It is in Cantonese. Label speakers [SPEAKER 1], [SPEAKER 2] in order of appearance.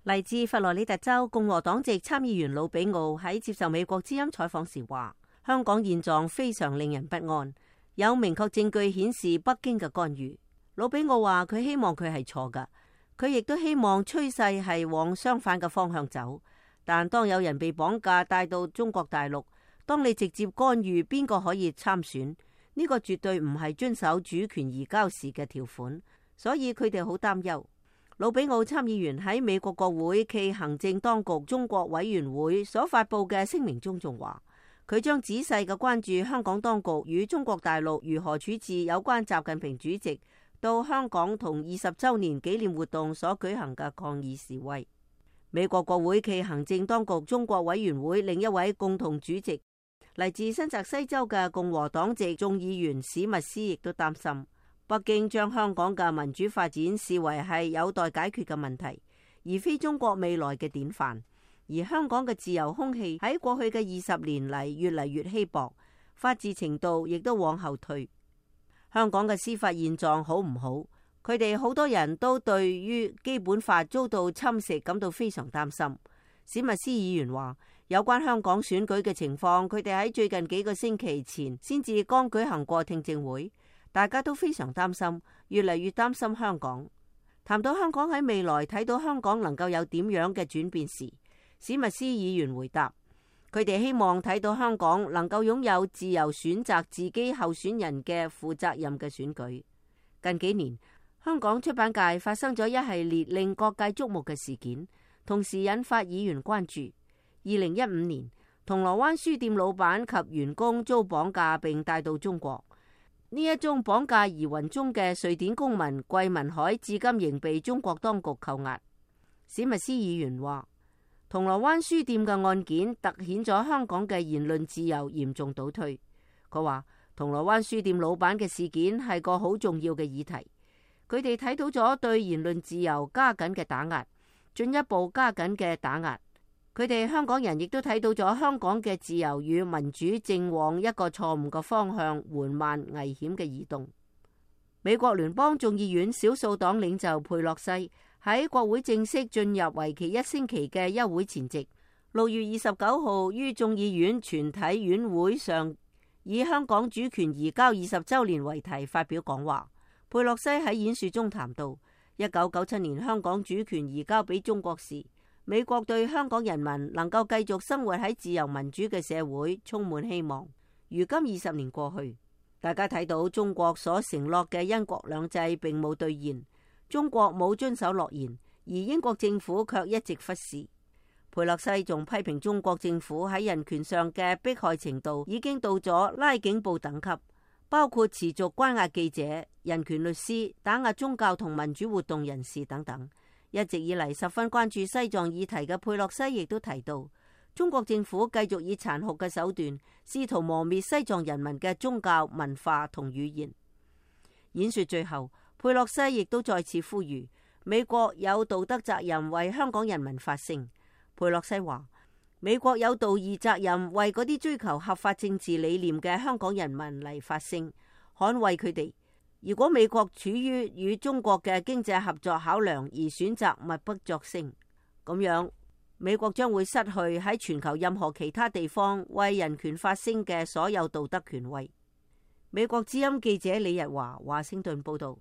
[SPEAKER 1] 嚟自佛羅里達州共和黨籍參議員魯比奧喺接受美國之音採訪時話，香港現狀非常令人不安，有明確證據顯示北京嘅干預。魯比奧話佢希望佢係錯㗎，佢亦都希望趨勢係往相反嘅方向走。但當有人被綁架帶到中國大陸，當你直接干預邊個可以參選，呢個絕對唔係遵守主權移交時嘅條款，所以佢哋好擔憂。魯比奧參議員喺美國國會暨行政當局中國委員會所發佈嘅聲明中仲話，佢將仔細嘅關注香港當局與中國大陸如何處置有關習近平主席到香港同20週年紀念活動所舉行嘅抗議示威。美國國會暨行政當局中國委員會另一位共同主席嚟自新澤西州嘅共和黨籍眾議員史密斯亦都擔心，北京將香港嘅民主發展視為係有待解決嘅問題，而非中國未來嘅典範。而香港嘅自由空氣喺過去嘅20年嚟越嚟越稀薄，法治程度亦都往後退。香港嘅司法現狀好唔好？佢哋好多人都對於基本法遭到侵蝕感到非常擔心。史密斯議員話，有關香港選舉嘅情況，佢哋喺最近幾個星期前先至剛舉行過聽證會。大家都非常擔心，越嚟越擔心香港。談到香港喺未來睇到香港能夠有點樣嘅轉變時，史密斯議員回答，佢哋希望睇到香港能夠擁有自由選擇自己候選人嘅負責任嘅選舉。近幾年，香港出版界發生咗一系列令各界矚目嘅事件，同時引發議員關注。2015年，銅鑼灣書店老闆及員工遭綁架並帶到中國。呢一宗綁架疑雲中嘅瑞典公民桂民海至今仍被中國當局扣押。史密斯議員話，銅鑼灣書店嘅案件凸顯咗香港嘅言論自由嚴重倒退。佢話，銅鑼灣書店老闆嘅事件係個好重要嘅議題，佢哋睇到咗對言論自由加緊嘅打壓，進一步加緊嘅打壓。佢哋香港人亦都睇到咗香港嘅自由與民主正往一個錯誤嘅方向緩慢危險嘅移動。美國聯邦眾議院少數黨領袖佩洛西喺國會正式進入為期1星期嘅休會前夕，6月29號於眾議院全體院會上以香港主權移交20週年為題發表講話。佩洛西喺演說中談到1997年香港主權移交俾中國時，美國對香港人民能夠繼續生活喺自由民主嘅社會充滿希望。如今20年過去，大家睇到中國所承諾嘅一國兩制並冇兌現，中國冇遵守諾言，而英國政府卻一直忽視。佩洛西仲批評中國政府喺人權上嘅迫害程度已經到咗拉警報等級，包括持續關押記者、人權律師、打壓宗教同民主活動人士等等。一直以嚟十分關注西藏議題嘅佩洛西亦都提到，中國政府繼續以殘酷嘅手段試圖磨滅西藏人民嘅宗教、文化同語言。演說最後，佩洛西亦都再次呼籲美國有道德責任為香港人民發聲。佩洛西話，美國有道義責任為嗰啲追求合法政治理念嘅香港人民嚟發聲，捍衛佢哋。如果美國處於與中國嘅經濟合作考量而選擇默不作聲，咁樣美國將會失去喺全球任何其他地方為人權發聲嘅所有道德權威。美國之音記者李日華華盛頓報道。